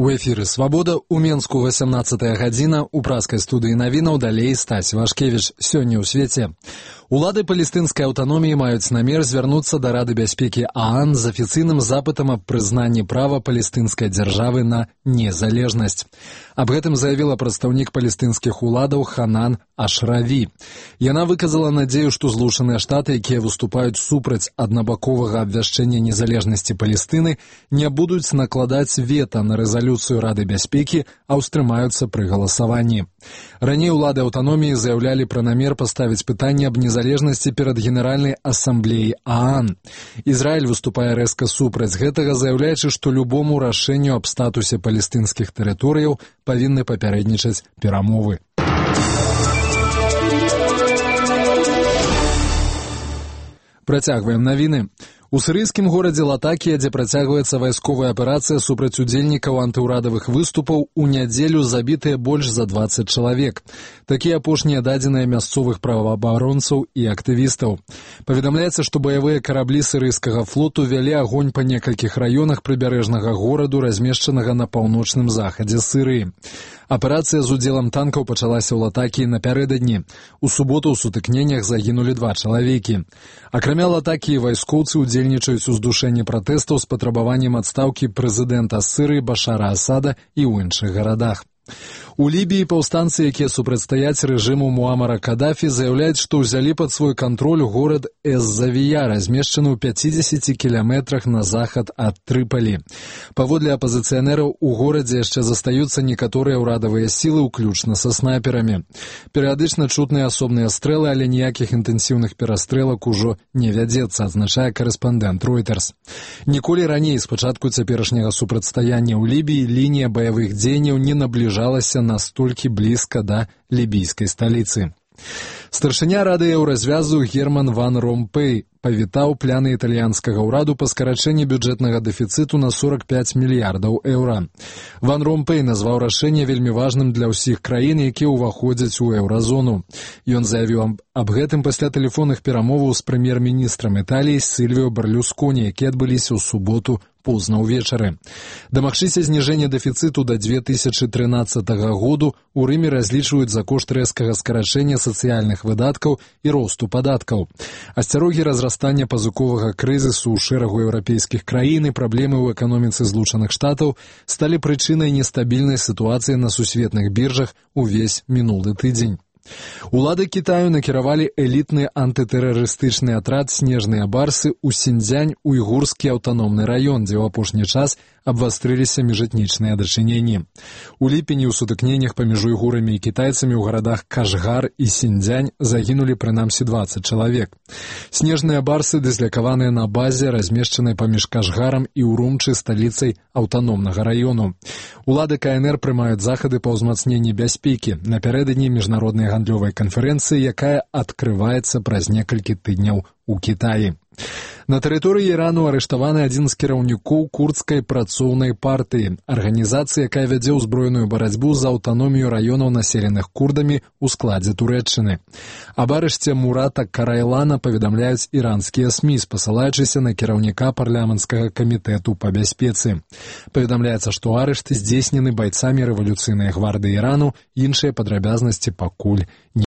У эфіры «Свабода», у Менску 18-я гадзіна, у праскай студыі навінаў далей Стась Вашкевіч. Сёння ў свеце. Улады палестынскай аўтаноміі маюць намер звярнуцца да Рады бяспекі ААН з афіцыйным запытам аб прызнанні права палестынскай дзяржавы на незалежнасць. Аб гэтым заявіла прадстаўнік палестынскіх уладаў Ханан Ашраві. Яна выказала надзею, што Злучаныя Штаты, якія выступаюць супраць аднабаковага абвяшчэння незалежнасці Палестыны, не будуць накладаць вета на рэзалюцыю Рады бяспекі, а ўстрымаюцца пры галасаванні. Раней улады аўтаноміі заяўлялі пра намер паставіць пытанне аб незалежнасці перад Генеральнай асамблеяй ААН. Ізраіль выступае рэзка супраць гэтага, заяўляючы, што любому рашэнню аб статусе палестынскіх тэрыторыяў павінны папярэднічаць перамовы. Працягваем навіны. У сірыйскім горадзе Латакія, дзе працягваецца вайсковая аперацыя супраць удзельнікаў антыўрадавых выступаў, у нядзелю забітыя больш за 20 чалавек. Такія апошнія дадзеныя мясцовых праваабаронцаў і актывістаў. Паведамляецца, што баявыя караблі сірыйскага флоту вялі агонь па некалькіх раёнах прыбярэжнага гораду, размешчанага на паўночным захадзе Сірыі. Аперацыя з удзелам танкаў пачалася ў Латакіі напярэдадні. У суботу ў сутыкненнях загінулі 2 чалавекі. Акрамя Латакіі, вайскоўцы удзельнічаюць у здушэнні пратэстаў з патрабаваннем адстаўкі прэзідэнта Сірыі Башара Асада і ў іншых гарадах. У Лібіі паўстанцы, якія супрацьстаяць рэжыму Муамара Кадафі, заяўляюць, што ўзялі пад свой кантроль горад Эз-Завія, размешчаны ў 50 кіламетрах на захад ад Трыпалі. Паводле апазіцыянераў, у горадзе яшчэ застаюцца некаторыя ўрадавыя сілы, уключна са снайперамі. Перыядычна чутныя асобныя стрэлы, але ніякіх інтэнсіўных перастрэлак ужо не вядзецца, адзначае карэспандэнт Reuters. Ніколі раней, з пачатку цяперашняга супрацьстаяння ў Лібіі, лінія баявых дзеянняў не набліжалася настолькі блізка да лібійскай сталіцы. Старшыня Рады еўразвязу Герман Ван Ромпэй павітаў пляны італьянскага ўраду па скарачэнні бюджэтнага дэфіцыту на 45 мільярдаў еўра. Ван Ромпэй назваў рашэнне вельмі важным для ўсіх краін, якія ўваходзяць у еўразону. Ён заявіў аб гэтым пасля тэлефонных перамоваў з прэм'ер-міністрам Італіі Сільвіо Берлюсконі, якія адбыліся ў суботу позна ўвечары. Дамагчыся зніжэння дэфіцыту да 2013 году у Рыме разлічваюць за кошт рэзкага скарачэння сацыяльных выдаткаў і росту падаткаў. Асцярогі разрастання пазыковага крызісу ў шэрагу еўрапейскіх краін і праблемы ў эканоміцы Злучаных Штатаў сталі прычынай нестабільнай сітуацыі на сусветных біржах увесь мінулы тыдзень. Улады Кітаю накіравалі элітны антытэрарыстычны атрад «Снежныя барсы» ў Сіньцзянь, уйгурскі аўтаномны раён, дзе ў апошні час абвастрыліся міжэтнічныя дачыненні. У ліпені ў сутыкненнях паміж уйгурамі і кітайцамі ў гарадах Кашгар і Сіньцзянь загінулі прынамсі 20 чалавек. Снежныя барсы дыслякаваныя на базе, размешчанай паміж Кашгарам і Урумчы, сталіцай аўтаномнага раёну. Улады КНР прымаюць захады па ўзмацненні бяспекі напярэдадні міжнароднай гандлёвай канферэнцыі, якая адкрываецца праз некалькі тыдняў у Кітаі. На тэрыторыі Ірану арыштаваны адзін з кіраўнікоў курдскай працоўнай партыі, арганізацыі, якая вядзе ўзброеную барацьбу за аўтаномію раёнаў, населеных курдамі ў складзе Турэччыны. Аб арышце Мурата Карайлана паведамляюць іранскія СМІ, спасылаючыся на кіраўніка парламенцкага камітэту па бяспецы. Паведамляецца, што арышты здзейснены байцамі рэвалюцыйнай гвардыі Ірану, іншыя падрабязнасці пакуль не